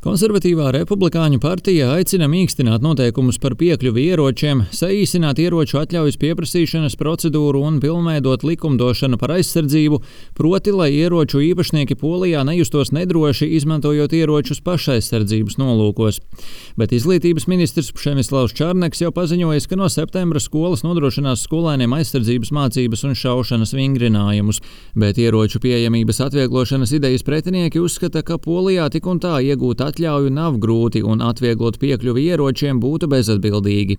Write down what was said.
Konservatīvā Republikāņu partija aicina mīkstināt noteikumus par piekļuvi ieročiem, saīsināt ieroču atļaujas pieprasīšanas procedūru un pilnveidot likumdošanu par aizsardzību, proti, lai ieroču īpašnieki Polijā nejustos nedroši, izmantojot ieročus pašaizsardzības nolūkos. Bet izglītības ministrs Pšemislavs Čarneks jau paziņojis, ka no septembra skolas nodrošinās skolēniem aizsardzības mācības un šaušanas vingrinājumus. Bet ieroču pieejamības atvieglošanas idejas pretinieki uzskata, ka Polijā tik un tā iegūt atļauju nav grūti un atvieglot piekļuvi ieročiem būtu bezatbildīgi.